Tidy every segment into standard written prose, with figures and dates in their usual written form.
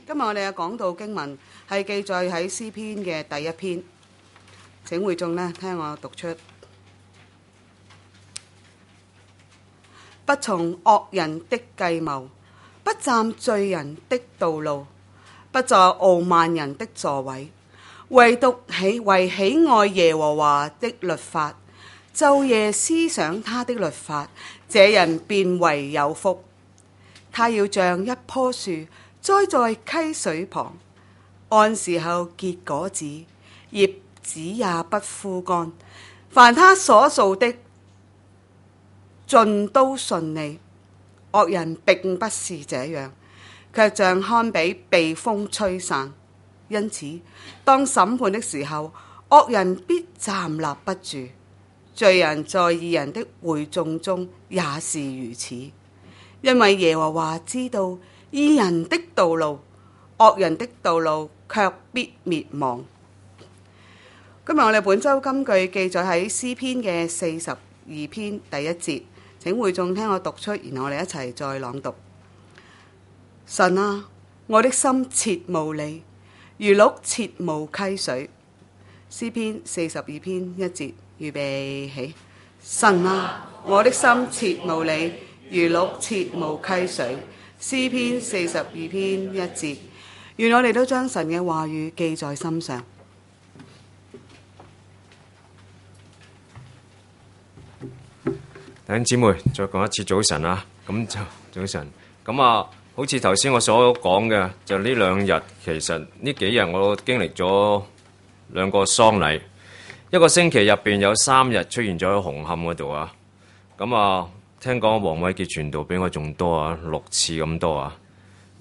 今日我哋嘅講道經文係記載喺詩篇嘅第一篇，請會眾呢聽我讀出：不從惡人的計謀，不站罪人的道路，不坐傲慢人的座位，唯獨為喜愛耶和華的律法，晝夜思想他的律法，這人便為有福。他要像一棵樹栽在溪水旁，按時候結果子，葉子也不枯乾。凡他所做的，盡都順利。惡人並不是這樣，卻像糠秕被風吹散。因此，當審判的時候，惡人必站立不住。罪人在義人的會眾中也是如此。因為耶和華知道義人的道路，惡人的道路卻必滅亡。今日我哋本周金句記載喺詩篇嘅42篇第一節，請會眾聽我讀出，然後我哋一齊再朗讀。神啊，我的心切慕你，如鹿切慕溪水。詩篇42篇1節，預備起。神啊，我的心切慕你，如鹿切慕溪水。詩篇42篇1節，願我哋都將神嘅話語記在心上。弟兄姊妹，再講一次早晨啊！咁就早晨。咁啊，好似頭先我所講嘅，就呢兩日，其實呢幾日我經歷咗兩個喪禮，一個星期入邊有3日出現咗喺紅磡嗰度啊。咁啊，聽講黃偉傑傳道比我仲多啊，6次咁多啊。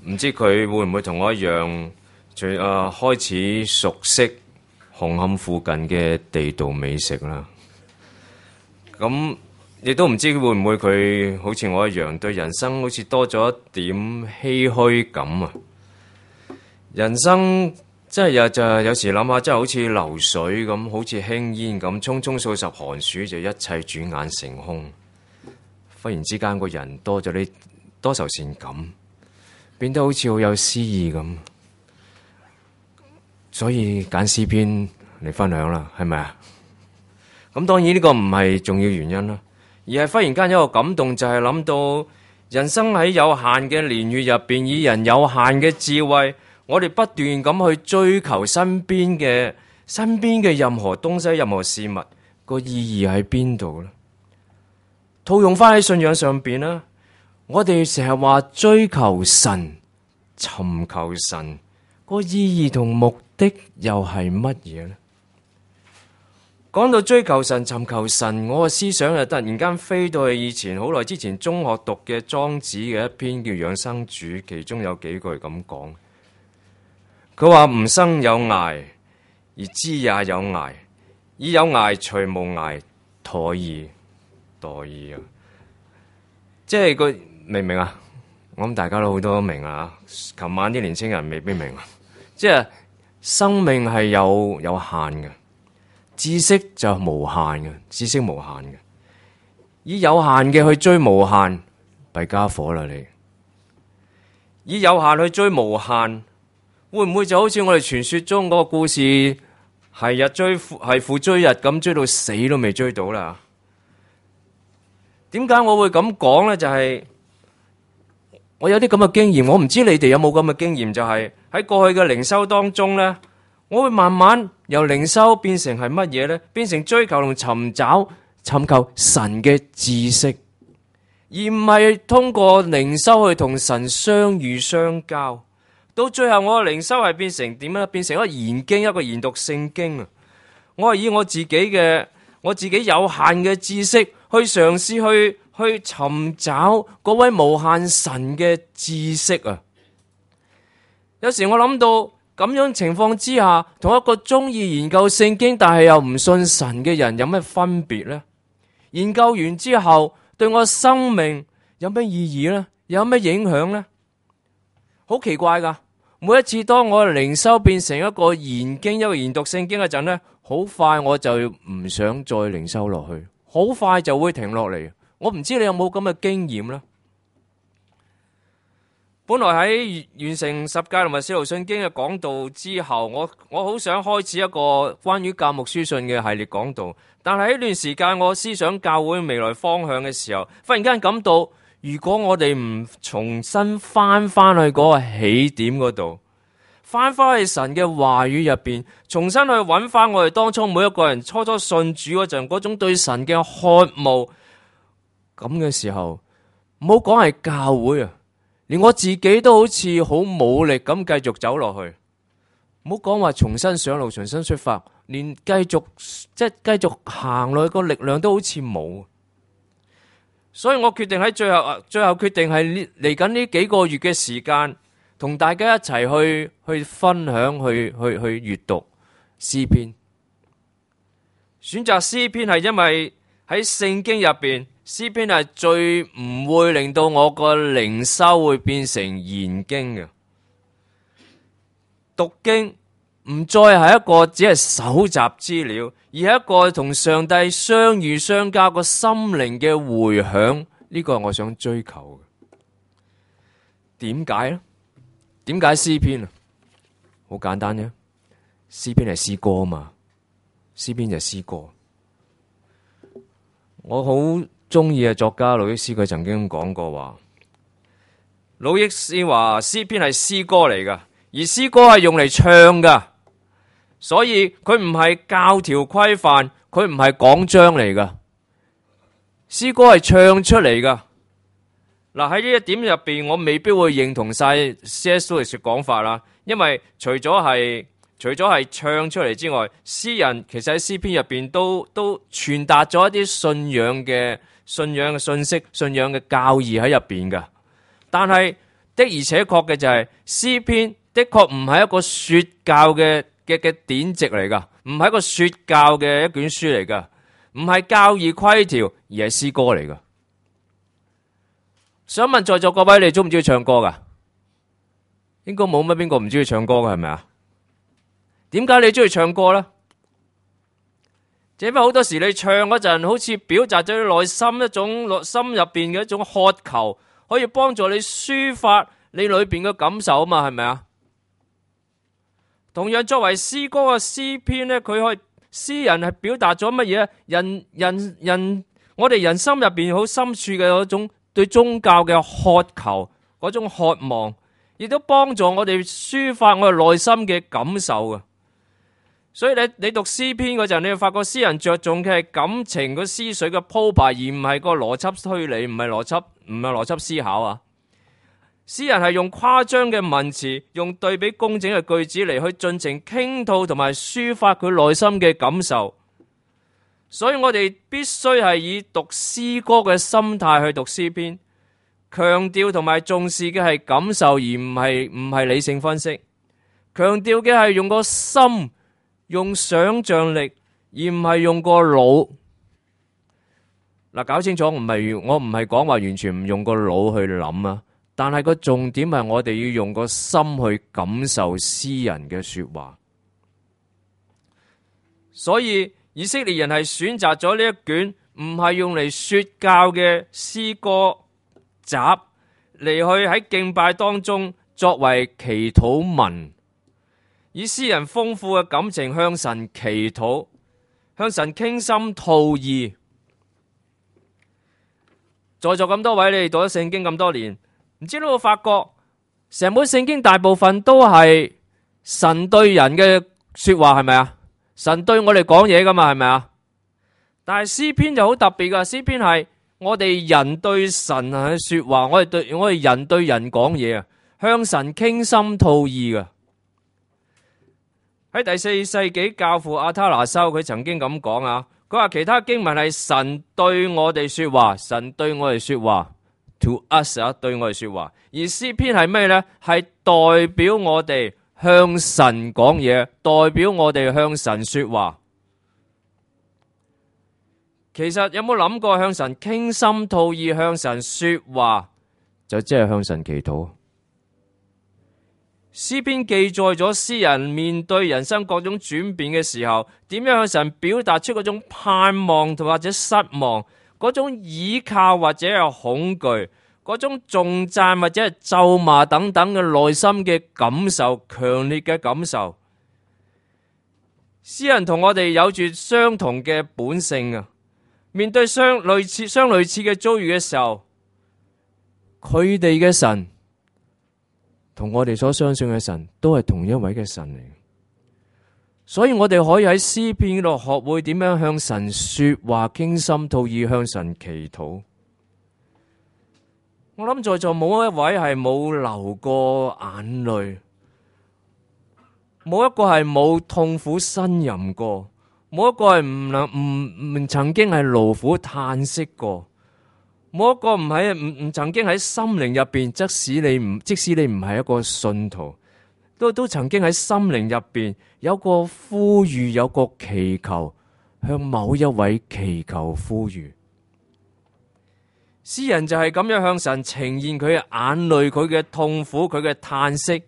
唔知佢會唔會同我一樣，開始熟悉紅磡附近嘅地道美食啦。咁亦都唔知會唔會佢好似我一樣，對人生好似多咗一點唏噓感啊！人生真係有時諗下，真係好似流水咁，好似輕煙咁，匆匆數十寒暑，就一切轉眼成空。忽然之間，個人多咗啲多愁善感，變得好似好有詩意咁。所以揀詩篇嚟分享啦，係咪啊？咁當然呢個唔係重要原因啦。而係忽然間有一個感動，就係諗到人生喺有限嘅年月入邊，以人有限嘅智慧，我哋不斷咁去追求身邊嘅任何東西、任何事物，個意義喺邊度呢？套用翻喺信仰上邊啦，我哋成日話追求神、尋求神，個意義同目的又係乜嘢呢？講到追求神、尋求神，我個思想就突然間飛到去以前好耐之前中學讀嘅莊子嘅一篇叫《養生主》，其中有幾句咁講。佢話吾生有涯，而知也有涯，以有涯隨無涯，殆矣，殆矣啊！即係佢明唔明啊？我諗大家都好多明啊。琴晚啲年青人未必明啊。即係生命係有限嘅。知識就無限嘅，知識無限嘅，以有限嘅去追無限，弊家伙啦你！以有限去追無限，會唔會就好似我哋傳說中嗰個故事，係父追日咁，追到死都未追到啦？點解我會咁講呢？就係我有啲咁嘅經驗，我唔知你哋有冇咁嘅經驗，就係喺過去嘅靈修當中呢。我會慢慢由靈修變成係乜嘢呢？變成追求同尋求神嘅知識，而唔係通過靈修去同神相遇相交。到最後我嘅靈修係變成點呢？變成一個研經，一個研讀聖經啊！我係以我自己有限嘅知識去嘗試去尋找嗰位無限神嘅知識啊！有時我諗到。咁樣情況之下，同一個中意研究聖經但係又唔信神嘅人有咩分別呢？研究完之後，對我生命有咩意義呢？有咩影響呢？好奇怪噶！每一次當我靈修變成一個研經、一個研讀聖經嗰陣呢，好快我就唔想再靈修落去，好快就會停落嚟。我唔知你有冇咁嘅經驗呢？本來喺完成十誡同埋使徒信經嘅講道之後，我好想開始一個關於教牧書信嘅系列講道，但係喺呢段時間我思想教會未來方向嘅時候，忽然間感到，如果我哋唔重新翻去嗰個起點嗰度，翻去神嘅話語入邊，重新去揾翻我哋當初每一個人初信主嗰陣嗰種對神嘅渴慕，咁嘅時候，唔好講係教會啊，連我自己都好似好冇力咁繼續走落去。唔好講話重新上路、重新出發，連繼續行落去個力量都好似冇。所以我決定喺最後決定係嚟緊呢幾個月嘅時間，同大家一齊去分享、去閱讀詩篇。選擇詩篇係因為喺聖經入邊，詩篇係最唔會令到我個靈修會變成研經嘅。讀經唔再係一個只係搜集資料，而係一個同上帝相遇相交個心靈嘅回響。呢個係我想追求嘅。點解呢？點解詩篇啊？好簡單啫，詩篇係詩歌啊嘛，詩篇就係詩歌。我好中意嘅作家魯益師，佢曾經講過話，魯益師話詩篇係詩歌嚟噶，而詩歌係用嚟唱噶，所以佢唔係教條規範，佢唔係講章嚟噶，詩歌係唱出嚟噶。嗱，喺呢一點入邊，我未必會認同晒 C.S. Lewis 嘅講法啦，因為除咗係唱出嚟之外，詩人其實喺詩篇入邊都傳達咗一啲信仰嘅信息、信仰嘅教義喺入邊噶。但係的而且確嘅就係詩篇的確唔係一個說教嘅典籍嚟噶，唔係一個說教嘅一卷書嚟噶，唔係教義規條，而係詩歌嚟噶。想問在座各位，你中唔中意唱歌噶？應該冇乜邊個唔中意唱歌噶，係咪啊？點解你中意唱歌呢？因為好多時你唱嗰陣，好似表達咗你內心一種心入邊嘅一種渴求，可以幫助你抒發你裏邊嘅感受啊嘛，係咪啊？同樣作為詩歌嘅詩篇呢，詩人係表達咗乜嘢？我哋人心入邊好深處嘅嗰種對宗教嘅渴求，嗰種渴望，亦都幫助我哋抒發我哋內心嘅感受嘅。所以你讀詩篇嗰陣，你會發覺詩人着重嘅係感情個思緒嘅鋪排，而唔係個邏輯推理，唔係邏輯思考啊。詩人係用誇張嘅文詞，用對比工整嘅句子嚟去盡情傾吐同埋抒發佢內心嘅感受。所以我哋必須係以讀詩歌嘅心態去讀詩篇，強調同埋重視嘅係感受，而唔係理性分析。強調嘅係用個心，用想象力，而唔係用個腦。嗱，搞清楚，我唔係講話完全唔用個腦去諗啊，但係個重點係我哋要用個心去感受詩人嘅說話。所以以色列人係選擇咗呢一卷唔係用嚟說教嘅詩歌集嚟去喺敬拜當中作為祈禱文，以詩人豐富嘅感情向神祈禱，向神傾心吐意。在座咁多位，你哋讀咗聖經咁多年，唔知你有冇發覺成本聖經大部分都係神對人嘅說話，係咪啊？神對我哋講嘢噶嘛，係咪啊？但係詩篇就好特別噶，詩篇係我哋人對神嘅說話，我哋人對人講嘢啊，向神傾心吐意噶。喺第4世紀教父阿他拿修，佢曾經咁講啊，佢話其他經文係神對我哋說話，神對我哋說話 ，to us 啊，對我哋說話。而詩篇係咩呢？係代表我哋向神講嘢，代表我哋向神說話。其實有冇諗過向神傾心吐意，向神說話，就即係向神祈禱。詩篇記載咗詩人面對人生各種轉變嘅時候，點樣向神表達出嗰種盼望同或者失望，嗰種倚靠或者係恐懼，嗰種頌讚或者係咒罵等等嘅內心嘅感受，強烈嘅感受。詩人同我哋有住相同嘅本性啊！面對相類似嘅遭遇嘅時候，佢哋嘅神同我哋所相信嘅神都係同一位嘅神嚟。所以我哋可以喺詩篇度學會點樣向神說話，傾心吐意向神祈禱。我諗在座冇一位係冇流過眼淚，冇一個係冇痛苦呻吟過，冇一個係唔曾經係勞苦嘆息過，冇一個唔曾經喺心靈入邊，即使你唔係一個信徒，都曾經喺心靈入邊有個呼籲，有個祈求，向某一位祈求呼籲。詩人就係咁樣向神呈現佢嘅眼淚，佢嘅痛苦，佢嘅嘆息。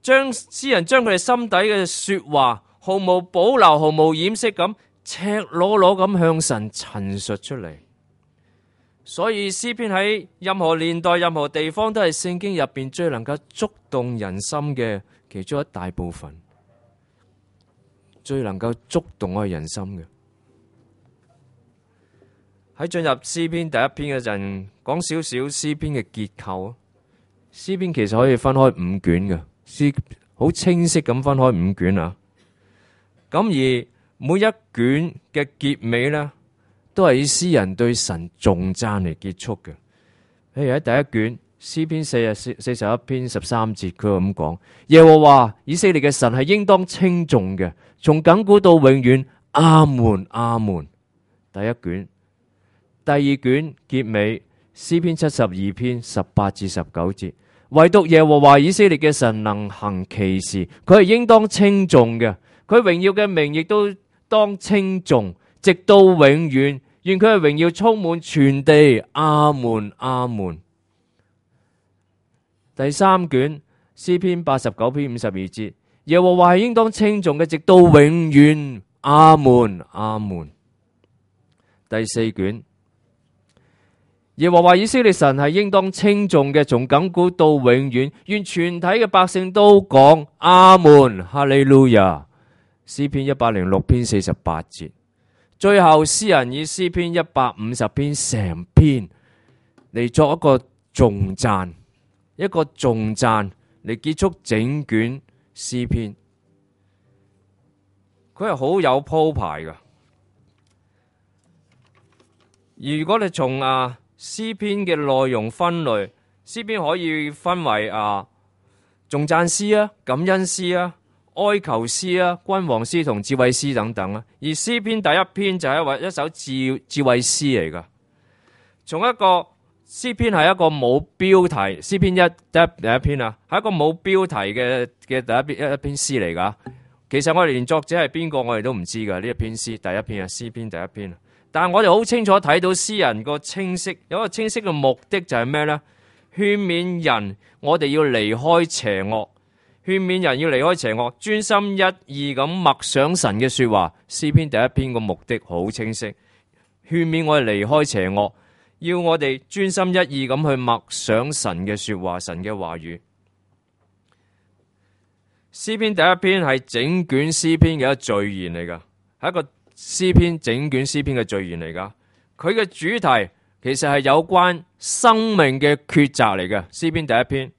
詩人將佢哋心底嘅說話毫無保留，毫無掩飾咁赤裸裸咁向神陳述出嚟。所以詩篇喺任何年代、任何地方都係聖經入邊最能夠觸動人心嘅其中一大部分，最能夠觸動我哋人心嘅。喺進入詩篇第一篇嗰陣，講少少詩篇嘅結構。詩篇其實可以分開5卷嘅，詩好清晰咁分開5卷啊。咁而每一卷嘅結尾呢，都係以詩人對神頌讚嚟結束嘅。譬如喺第一卷詩篇41篇13節，佢咁講：耶和華以色列嘅神係應當稱頌嘅，從亙古到永遠，阿門阿門。第一卷。第二卷結尾詩篇72篇18至19節，唯獨耶和華以色列嘅神能行奇事，佢係應當稱頌嘅，佢榮耀嘅名亦都當稱頌，直到永遠。願佢嘅榮耀充滿全地，阿門阿門。第三卷詩篇89篇52節，耶和華係應當稱頌嘅，直到永遠，阿門阿門。第四卷，耶和華以色列神係應當稱頌嘅，從亙古到永遠，願全體嘅百姓都講阿門，哈利路亞。詩篇106篇48節，最後詩人以詩篇150篇成篇嚟作一個頌讚，嚟結束整卷詩篇。佢係好有鋪排噶。如果你從詩篇嘅內容分類，詩篇可以分為頌讚詩啊、感恩詩啊、哀求詩啊、君王詩同智慧詩等等啊。而詩篇第一篇就係一首智慧詩嚟噶。從一個詩篇係一個冇標題，詩篇第一篇啊，係一個冇標題嘅一篇詩嚟噶。其實我哋連作者係邊個我哋都唔知噶。呢一篇詩第一篇啊，詩篇第一篇。但係我哋好清楚睇到詩人個清晰，有一個清晰嘅目的就係咩呢？勸勉人，我哋要離開邪惡，勸勉人要離開邪惡，專心一意咁默想神嘅說話。詩篇第一篇個目的好清晰，勸勉我哋離開邪惡，要我哋專心一意咁去默想神嘅說話，神嘅話語。詩篇第一篇係整卷詩篇嘅一個序言嚟噶，係一個詩篇整卷詩篇嘅序言嚟噶。佢嘅主題其實係有關生命嘅抉擇嚟嘅。詩篇第一篇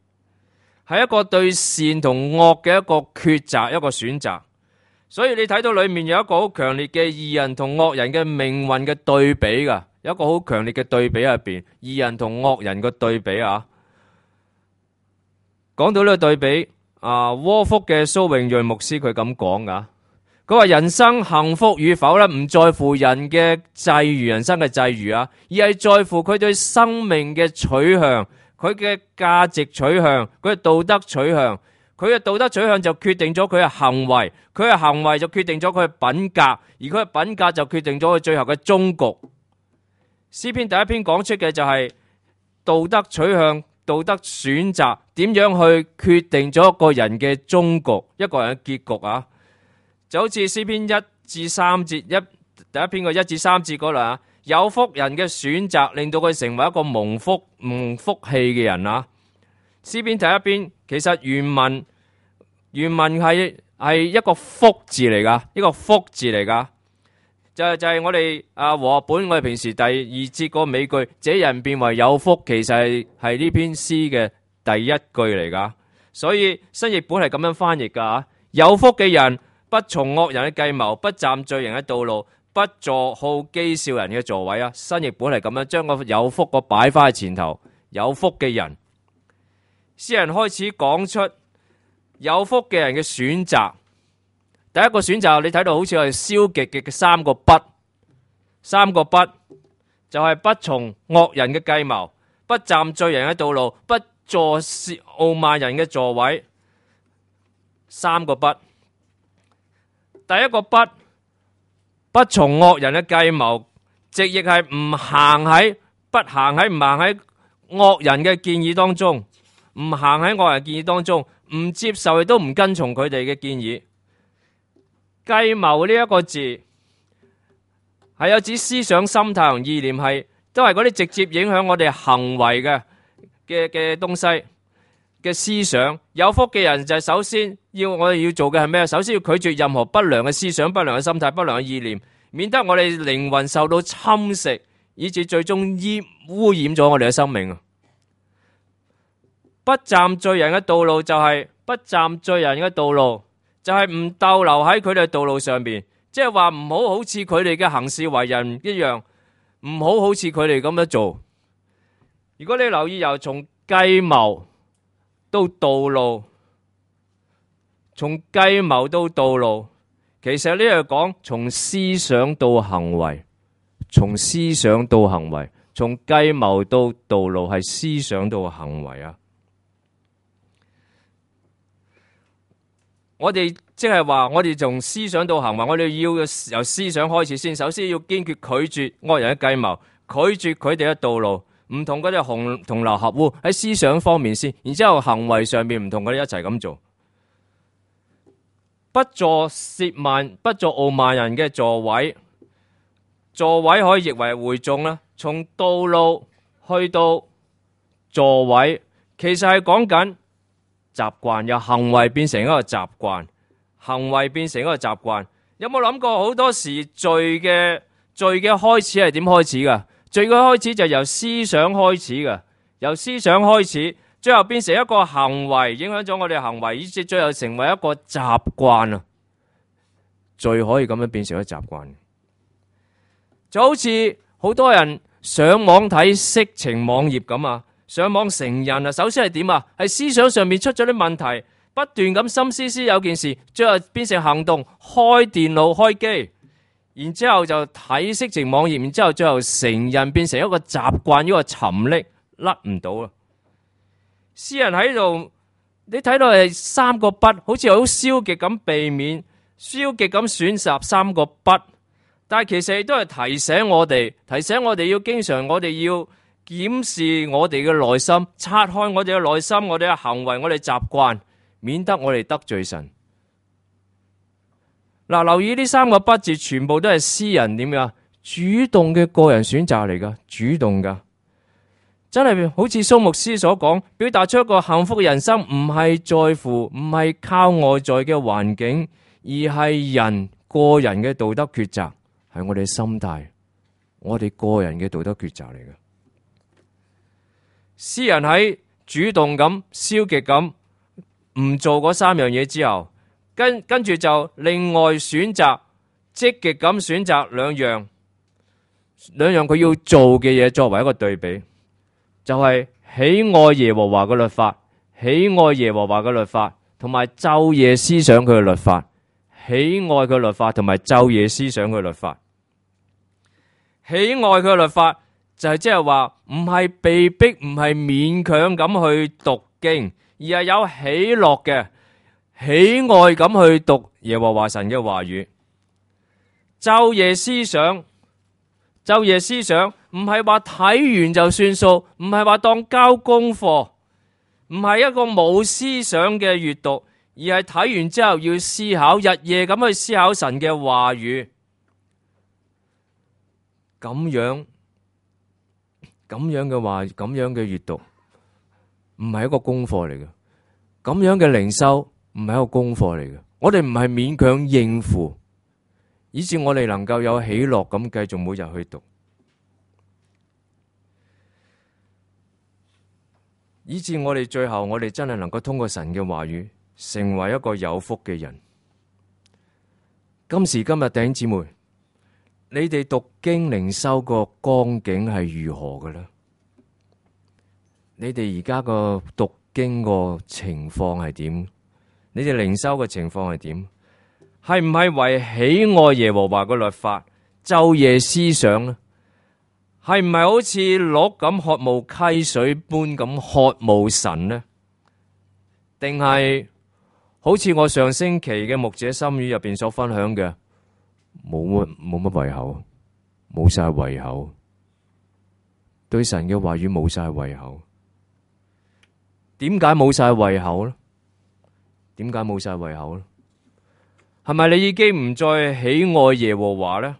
係一個對善同惡嘅一個抉擇，一個選擇。所以你睇到裏面有一個好強烈嘅義人同惡人嘅命運嘅對比噶，有一個好強烈嘅對比入邊，義人同惡人嘅對比啊。講到呢個對比，窩福嘅蘇永瑞牧師佢咁講噶。佢話人生幸福與否咧，唔在乎人嘅際遇，人生嘅際遇啊，而係在乎佢對生命嘅取向，佢嘅價值取向，佢嘅道德取向。佢嘅道德取向就決定咗佢嘅行為，佢嘅行為就決定咗佢嘅品格，而佢嘅品格就決定咗佢最後嘅終局。詩篇第一篇講出嘅就係道德取向、道德選擇，點樣去決定咗一個人嘅終局，一個人嘅結局啊！就好似詩篇1至3節，第一篇嘅1至3節嗰度啊，有福人嘅選擇，令到佢成為一個蒙福氣嘅人啊！詩篇第一篇其實原文係一個福字嚟噶，一個福字嚟噶，就係我哋和本我哋平時第二節個尾句，這人變為有福，其實係呢篇詩嘅第一句嚟噶。所以新譯本係咁樣翻譯噶，有福嘅人不從惡人嘅計謀，不站罪人嘅道路，不坐好譏笑人嘅座位啊！新譯本係咁樣將個有福個擺翻喺前頭，有福嘅人。詩人開始講出有福嘅人嘅選擇。第一個選擇你睇到好似係消極嘅三個不，就係不從惡人嘅計謀，不站罪人嘅道路，不坐傲慢人嘅座位。三個不。第一個不從惡人嘅計謀，直譯係唔行喺惡人嘅建議當中，唔行喺惡人建議當中，唔接受亦都唔跟從佢哋嘅建議。計謀呢一個字係有指思想、心態同意念，都係嗰啲直接影響我哋行為嘅東西嘅思想。有福嘅人就係首先我哋要做嘅係咩？首先要拒絕任何不良嘅思想、不良嘅心態、不良嘅意念，免得我哋靈魂受到侵蝕，以致最終污染咗我哋嘅生命。不站罪人嘅道路就係唔逗留喺佢哋嘅道路上邊，即係話唔好似佢哋嘅行事為人一樣，唔好似佢哋咁樣做。如果你留意由從計謀到道路，其實呢係講從思想到行為，從計謀到道路係思想到行為啊！我哋即係話，我哋從思想到行為，我哋要由思想開始先。首先要堅決拒絕惡人嘅計謀，拒絕佢哋嘅道路，唔同佢哋同流合污喺思想方面先，然之後行為上面唔同佢哋一齊咁做。不坐傲慢人嘅座位，座位可以譯為會眾啦。從道路去到座位，其實係講緊習慣，由行為變成一個習慣，有冇諗過好多時罪嘅開始係點開始噶？罪嘅開始就係由思想開始，最後變成一個行為，影響咗我哋嘅行為，以至最後成為一個習慣啊！罪可以咁樣變成一個習慣，就好似好多人上網睇色情網頁咁啊！上網成癮啊！首先係點啊？係思想上面出咗啲問題，不斷咁心思有件事，最後變成行動，開電腦開機，然之後就睇色情網頁，然之後最後成癮，變成一個習慣，一個沉溺，甩唔到啊！詩人喺度，你睇到係三個不，好似好消極咁避免，消極咁選擇三個不，但係其實亦都係提醒我哋要經常，我哋要檢視我哋嘅內心，拆開我哋嘅內心，我哋嘅行為，我哋習慣，免得我哋得罪神。嗱，留意呢三個不字，全部都係詩人點樣主動嘅個人選擇嚟噶，主動噶，真係好似蘇牧師所講，表達出一個幸福嘅人生，唔係靠外在嘅環境，而係人個人嘅道德抉擇，係我哋嘅心態，我哋個人嘅道德抉擇嚟嘅。詩人喺主動咁、消極咁唔做嗰三樣嘢之後，跟住就另外選擇積極咁選擇兩樣佢要做嘅嘢作為一個對比，就係喜愛耶和華嘅律法，同埋晝夜思想佢嘅律法，喜愛佢律法同埋晝夜思想佢律法，喜愛佢嘅律法。就係即係話唔係被逼，唔係勉強咁去讀經，而係有喜樂嘅喜愛咁去讀耶和華神嘅話語。晝夜思想唔係話睇完就算數，唔係話當交功課，唔係一個冇思想嘅閱讀，而係睇完之後要思考，日夜咁去思考神嘅話語。咁樣嘅話，咁樣嘅閱讀唔係一個功課嚟嘅，咁樣嘅靈修唔係一個功課嚟嘅。我哋唔係勉強應付，以致我哋能夠有喜樂咁繼續每日去讀，以致我哋最後我哋真係能夠通過神嘅話語，成為一個有福嘅人。今時今日弟兄姊妹，你哋讀經靈修個光景係如何嘅呢？你哋而家個讀經個情況係點？你哋靈修嘅情況係點？係唔係為喜愛耶和華嘅律法，晝夜思想呢？係唔係好似鹿咁渴慕溪水般咁渴慕神呢？定係好似我上星期嘅牧者心語入邊所分享嘅，冇乜胃口，冇晒胃口，對神嘅話語冇晒胃口。點解冇晒胃口呢？點解冇晒胃口呢？係咪你已經唔再喜愛耶和華呢？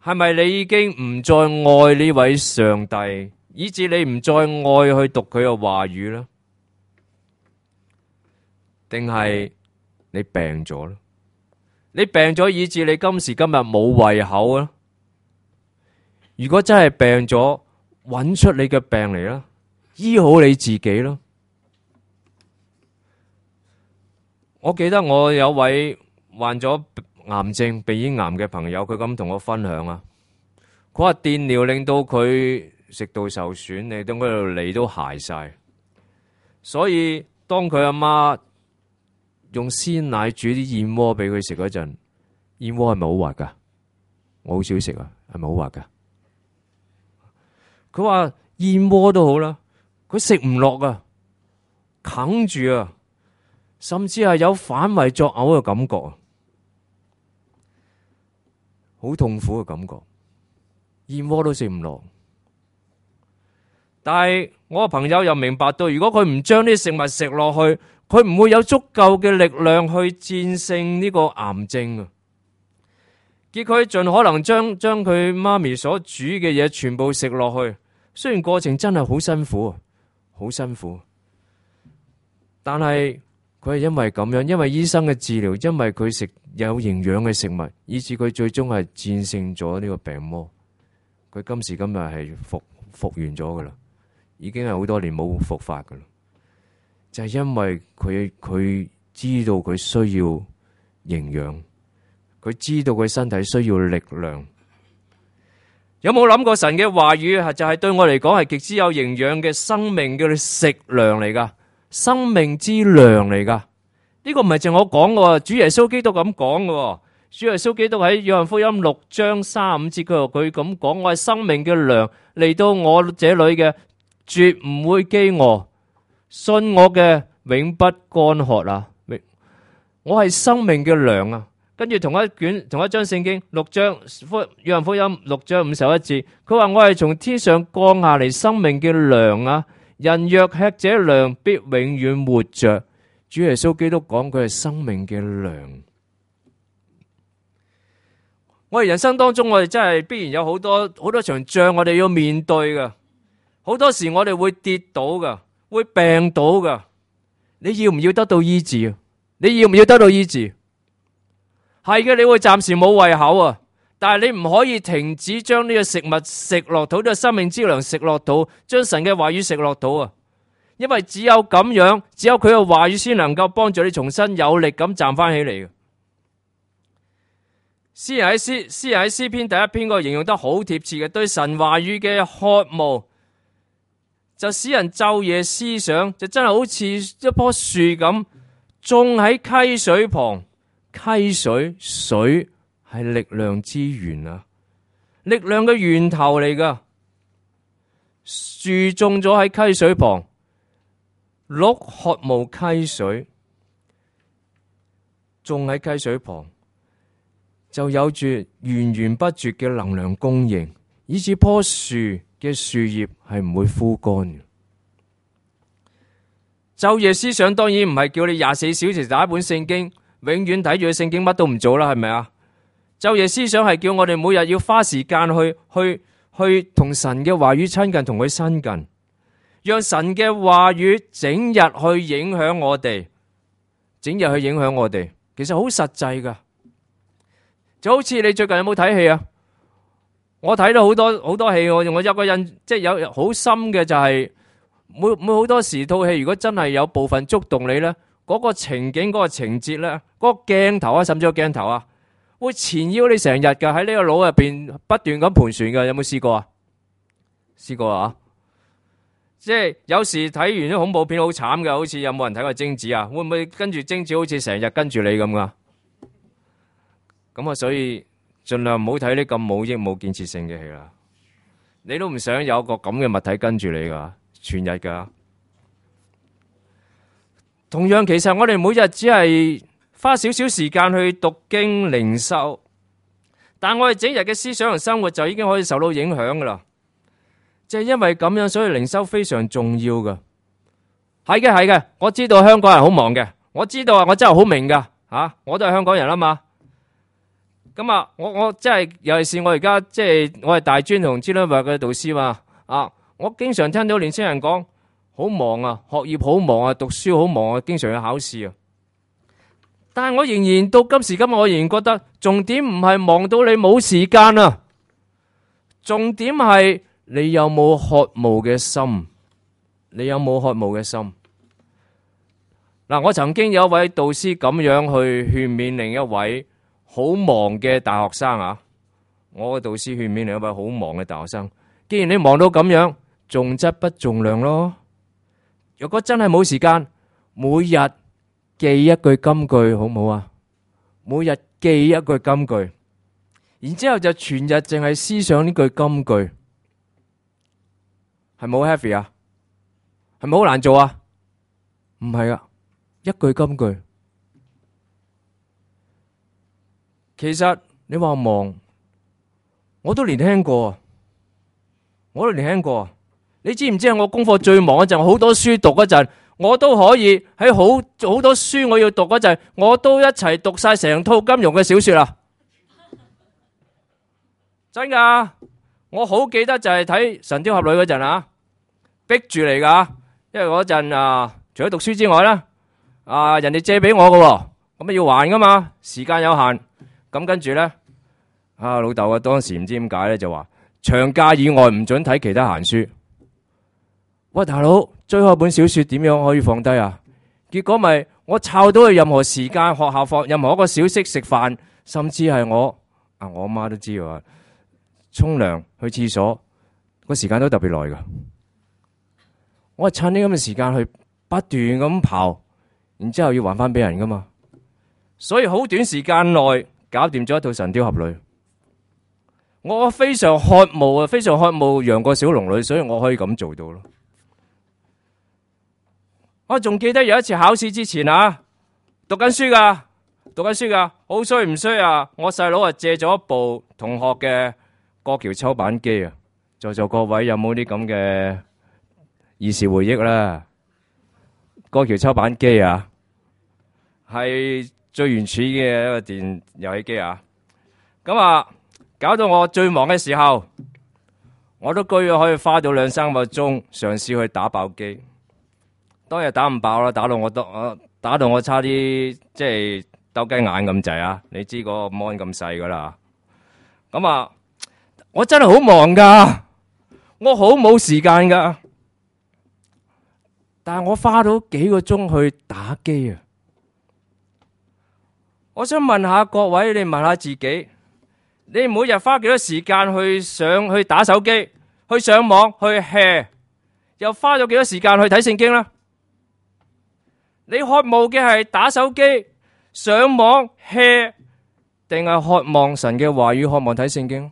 係咪你已經唔再愛呢位上帝，以致你唔再愛去讀佢嘅話語呢？定係你病咗呢？你病咗以致你今時今日冇胃口啊？如果真係病咗，揾出你嘅病嚟啦，醫好你自己啦。我記得我有位患咗癌症鼻咽癌嘅朋友，佢咁同我分享啊，佢話電療令到佢食道受損，令到佢條脷都鞋晒，所以當佢阿媽用鮮奶煮啲燕窩俾佢食嗰陣，燕窩係咪好滑噶？我好少食啊，係咪好滑噶？佢話燕窩都好啦，佢食唔落啊，啃住啊，甚至係有反胃作嘔嘅感覺啊，好痛苦嘅感覺，燕窩都食唔落。但係我個朋友又明白到，如果佢唔將啲食物食落去，佢唔會有足夠嘅力量去戰勝呢個癌症啊。結果佢盡可能將佢媽咪所煮嘅嘢全部食落去，雖然過程真係好辛苦，好辛苦，但係佢係因為咁樣，因為醫生嘅治療，因為佢食有營養嘅食物，以致佢最終係戰勝咗呢個病魔。佢今時今日係復原咗噶啦，已經係好多年冇復發噶啦，就係因為佢知道佢需要營養。佢知道佢身體需要力量。有冇諗過神嘅話語就係對我嚟講係極之有營養嘅生命嘅食糧嚟噶，生命之糧嚟噶。呢個唔係淨我講嘅，主耶穌基督咁講嘅。主耶穌基督喺約翰福音6章35節佢咁講：我係生命嘅糧，嚟到我這裏嘅絕唔會飢餓，信我嘅永不乾渴啊！我係生命嘅糧啊！跟住同一章聖經約翰福音6章51節，佢話我係從天上降下嚟生命嘅糧啊！人若吃這糧，必永遠活着。主耶穌基督講佢係生命嘅糧。我哋人生當中，我哋真係必然有好多場仗，我哋要面對噶。好多時我哋會跌倒噶，會病倒噶。你要唔要得到醫治？你要唔要得到醫治？係嘅，你會暫時冇胃口啊，但係你唔可以停止將呢個食物食落肚，呢個生命之糧食落肚，將神嘅話語食落肚啊！因為只有咁樣，只有佢嘅話語先能夠幫助你重新有力咁站翻起嚟嘅。詩人喺詩篇第1篇嗰度形容得好貼切嘅，對神話語嘅渴慕，就使人晝夜思想，就真係好似一棵樹咁種喺溪水旁。溪水係力量之源啊，力量嘅源頭嚟噶。樹種咗喺溪水旁，鹿渴慕溪水，種喺溪水旁就有住源源不絕嘅能量供應，以至棵樹嘅樹葉係唔會枯乾嘅。晝夜思想當然唔係叫你24小時打一本聖經，永遠睇住聖經乜都唔做啦，係咪啊？晝夜思想係叫我哋每日要花時間去同神嘅話語親近，同佢親近，讓神嘅話語整日去影響我哋，整日去影響我哋。其實好實際噶，就好似你最近有冇睇戲啊？我睇到好多戲，我有個印，即係有好深嘅就係每好多時套戲，如果真係有部分觸動你呢，嗰個情景、嗰個情節呢，嗰個鏡頭啊，甚至個鏡頭啊，會纏繞你成日噶，喺呢個腦入邊不斷咁盤旋噶。有冇試過啊？試過啊？即係有時睇完啲恐怖片好慘嘅，好似有冇人睇過貞子啊？會唔會跟住貞子好似成日跟住你咁噶？咁啊，所以盡量唔好睇啲咁冇益冇建設性嘅戲啦。你都唔想有個咁嘅物體跟住你噶，全日噶。同樣，其實我哋每日只係花少少時間去讀經靈修，但我哋整日嘅思想同生活就已經可以受到影響噶啦。就係因為咁樣，所以靈修非常重要噶。係嘅，我知道香港人好忙嘅，我知道啊，我真係好明噶吓，我都係香港人啊嘛。咁啊，我真係尤其是我而家即係我係大專同支聯會嘅導師嘛啊，我經常聽到年輕人講好忙啊，學業好忙啊，讀書好忙啊，經常要考試啊。但係我仍然到今時今日，我仍然覺得重點唔係忙到你冇時間啊，重點係你有冇渴慕嘅心，你有冇渴慕嘅心。嗱，我曾經有一位導師咁樣去勸勉另一位好忙嘅大學生啊，我嘅導師勸勉另一位好忙嘅大學生，既然你忙到咁樣，重質不重量咯。如果真係冇時間，每日記一句金句好唔好啊？每日記一句金句，然之後就全日淨係思想呢句金句，係咪好 heavy 啊？係咪好難做啊？唔係啊，一句金句。其實你話忙，我都年輕過，你知唔知我功課最忙嗰陣，好多書讀嗰陣，我都可以喺好多書我要讀嗰陣，我都一齊讀晒成套金庸嘅小說啦。真噶，我好記得就係睇《神雕俠侶》嗰陣啊，逼住嚟噶，因為嗰陣啊，除咗讀書之外咧，啊人哋借俾我噶，咁啊要還噶嘛，時間有限。咁跟住咧，啊老豆啊，當時唔知點解咧，就話長假以外唔准睇其他閒書。喂，大佬，追開本小說點樣可以放低啊？結果咪我抄到去任何時間，學校放任何一個小息食飯，甚至係我阿媽都知啊，沖涼去廁所個時間都特別耐噶。我係趁呢咁嘅時間去不斷咁刨，然之後要還翻俾人噶嘛。所以好短時間內搞掂咗一套《神雕俠侶》，我非常渴慕啊，非常渴慕楊過小龍女，所以我可以咁做到咯。我仲記得有一次考試之前啊，讀緊書噶，好衰唔衰啊？我細佬啊借咗一部同學嘅過橋抽板機啊，在座各位有冇啲咁嘅兒時回憶啦？過橋抽板機啊，係最原始嘅一個電遊戲機啊，咁啊搞到我最忙嘅時候，我都居然可以花到2-3個鐘嘗試去打爆機。當日打唔爆啦，打到我差啲即係鬥雞眼咁滯啊！你知個 mon 咁細噶啦，咁啊我真係好忙噶，我好冇時間噶，但係我花到幾個鐘去打機啊！我想問下各位，你問下自己，你每日花幾多時間去打手機、去上網、去 hea， 又花咗幾多時間去睇聖經呢？你渴慕嘅係打手機、上網 hea， 定係渴望神嘅話語、渴望睇聖經？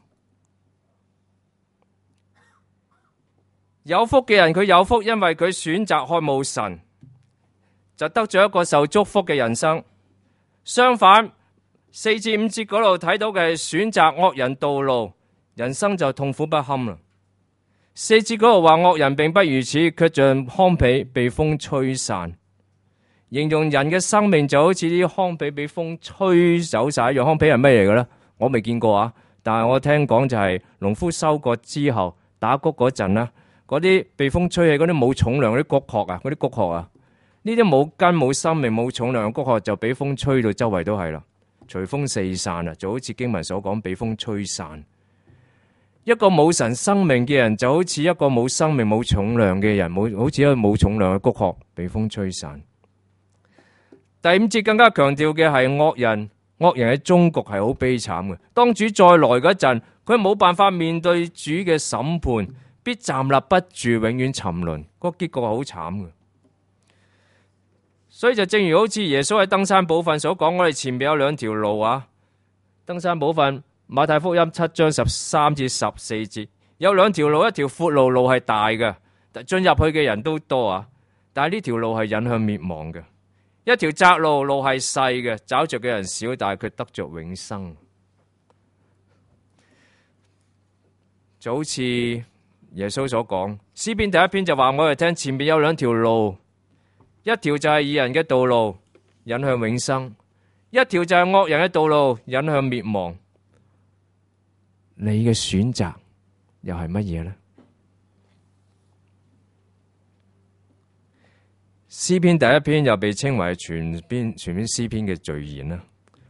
有福嘅人佢有福，因為佢選擇渴慕神，就得咗一個受祝福嘅人生。相反，4至5節嗰度睇到嘅係選擇惡人道路，人生就痛苦不堪啦。4節嗰度話惡人並不如此，卻像糠秕被風吹散，形容人嘅生命就好似啲糠秕被風吹走晒一樣。糠秕係咩嚟嘅咧？我未見過啊，但係我聽講就係農夫收割之後打穀嗰陣啦，嗰啲被風吹起嗰啲冇重量嗰啲穀殼啊，嗰啲穀殼啊，呢啲冇根冇生命冇重量嘅穀殼就俾風吹到周圍都係啦，隨風四散啊，就好似經文所講，俾風吹散。一個冇神生命嘅人就好似一個冇生命冇重量嘅人，好似一個冇重量嘅穀殼被風吹散。第五節更加強調嘅係惡人嘅終局係好悲慘嘅。當主再來嗰陣，佢冇辦法面對主嘅審判，必站立不住，永遠沉淪。個結局係好慘嘅。所以就正如好似耶穌喺登山寶訓所講，我哋前面有兩條路啊。登山寶訓馬太福音7章13至14節，有兩條路，一條闊路，路係大嘅，進入去嘅人都多啊。但係呢條路係引向滅亡嘅。一條窄路，路係細嘅，找着嘅人少，但係佢得着永生。就好似耶穌所講，詩篇第一篇就話我哋聽，前面有兩條路，一條就係義人嘅道路，引向永生；一條就係惡人嘅道路，引向滅亡。你嘅選擇又係乜嘢呢？詩篇第一篇又被稱為全篇詩篇嘅序言啦。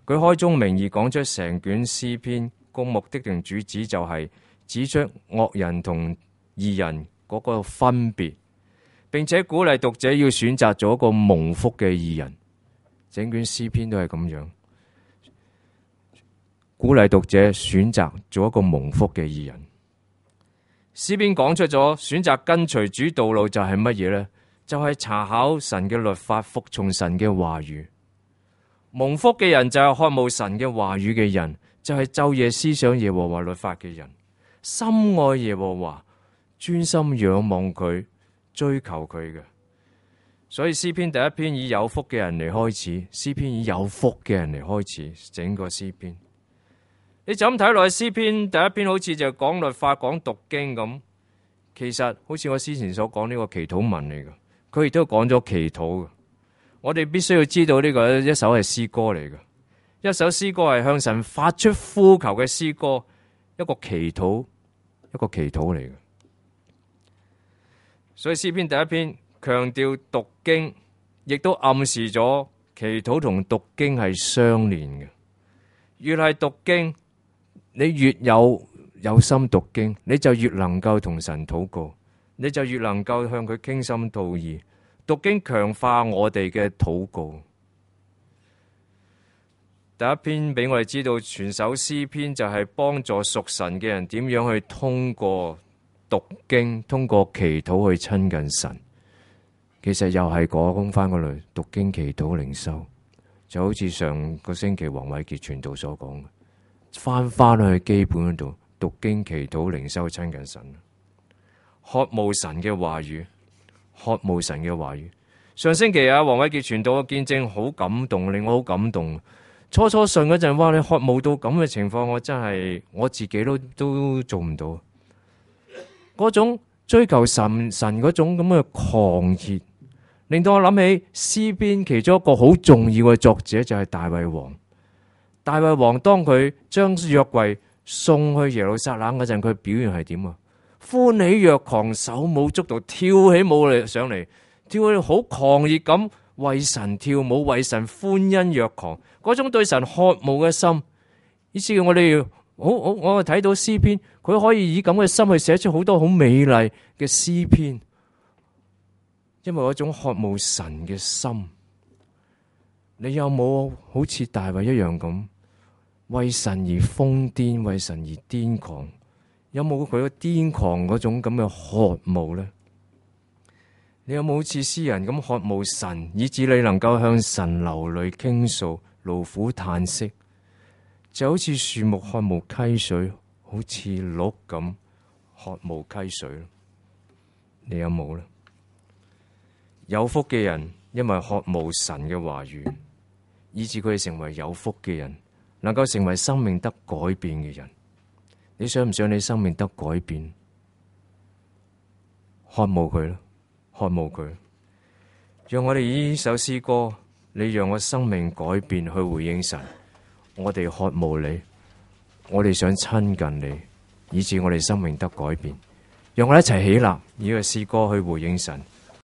佢開宗明義講出成卷詩篇個目的定主旨，就係指出惡人同義人嗰個分別，並且鼓勵讀者要選擇做一個蒙福嘅義人。整卷詩篇都係咁樣，鼓勵讀者選擇做一個蒙福嘅義人。詩篇講出咗選擇跟隨主道路就係乜嘢呢？就係查考神嘅律法，服從神嘅話語。蒙福嘅人就係渴慕神嘅話語嘅人，就係晝夜思想耶和華律法嘅人，深愛耶和華，專心仰望佢，追求佢嘅。所以詩篇第一篇以有福嘅人嚟開始，詩篇以有福嘅人嚟開始整個詩篇。你就咁睇落去，詩篇第一篇好似就講律法、講讀經咁，其實好似我之前所講呢個祈禱文嚟嘅。佢亦都講咗祈禱嘅，我哋必須要知道呢個一首係詩歌嚟嘅，一首詩歌係向神發出呼求嘅詩歌，一個祈禱嚟嘅。所以詩篇第一篇強調讀經，亦都暗示咗祈禱同讀經係相連嘅。越係讀經，你越有心讀經，你就越能夠同神禱告。你就越能夠向佢傾心吐意，讀經強化我哋嘅禱告。第一篇俾我哋知道，全首詩篇就係幫助屬神嘅人點樣去通過讀經、通過祈禱去親近神。其實又係講翻嗰類讀經、祈禱、靈修，就好似上個星期黃偉傑傳道所講嘅，翻去基本嗰度讀經、祈禱、靈修，親近神。渴慕神嘅話語，渴慕神嘅話語。上星期黃偉傑傳道嘅見證好感動，令我好感動。初信嗰陣，哇！你渴慕到咁嘅情況，我真係我自己都做唔到。嗰種追求神嗰種咁嘅狂熱，令到我諗起詩篇其中一個好重要嘅作者就係大衛王。大衛王當佢將約櫃送去耶路撒冷嗰陣，佢表現係點啊？歡喜若狂，手舞足蹈，跳起舞嚟上嚟，跳起好狂熱咁為神跳舞，為神歡欣若狂，嗰種對神渴慕嘅心，以至我哋我睇到詩篇，佢可以以咁嘅心去寫出好多好美麗嘅詩篇，因為嗰種渴慕神嘅心。你有冇好似大衛一樣咁為神而瘋癲，為神而癲狂？有冇佢個癲狂嗰種咁嘅渴慕呢？你有冇好似詩人咁渴慕神，以致你能夠向神流淚傾訴、勞苦嘆息，就好似樹木渴慕溪水，好似鹿咁渴慕溪水？你有冇呢？有福嘅人因為渴慕神嘅話語，以致佢哋成為有福嘅人，能夠成為生命得改變嘅人。你想唔想你生命得改變？渴慕佢咯，渴慕佢。讓我哋以呢首詩歌，你讓我生命改變去回應神。我哋渴慕你，我哋想親近你，以致我哋生命得改變。讓我哋一齊起立，以個詩歌去回應神。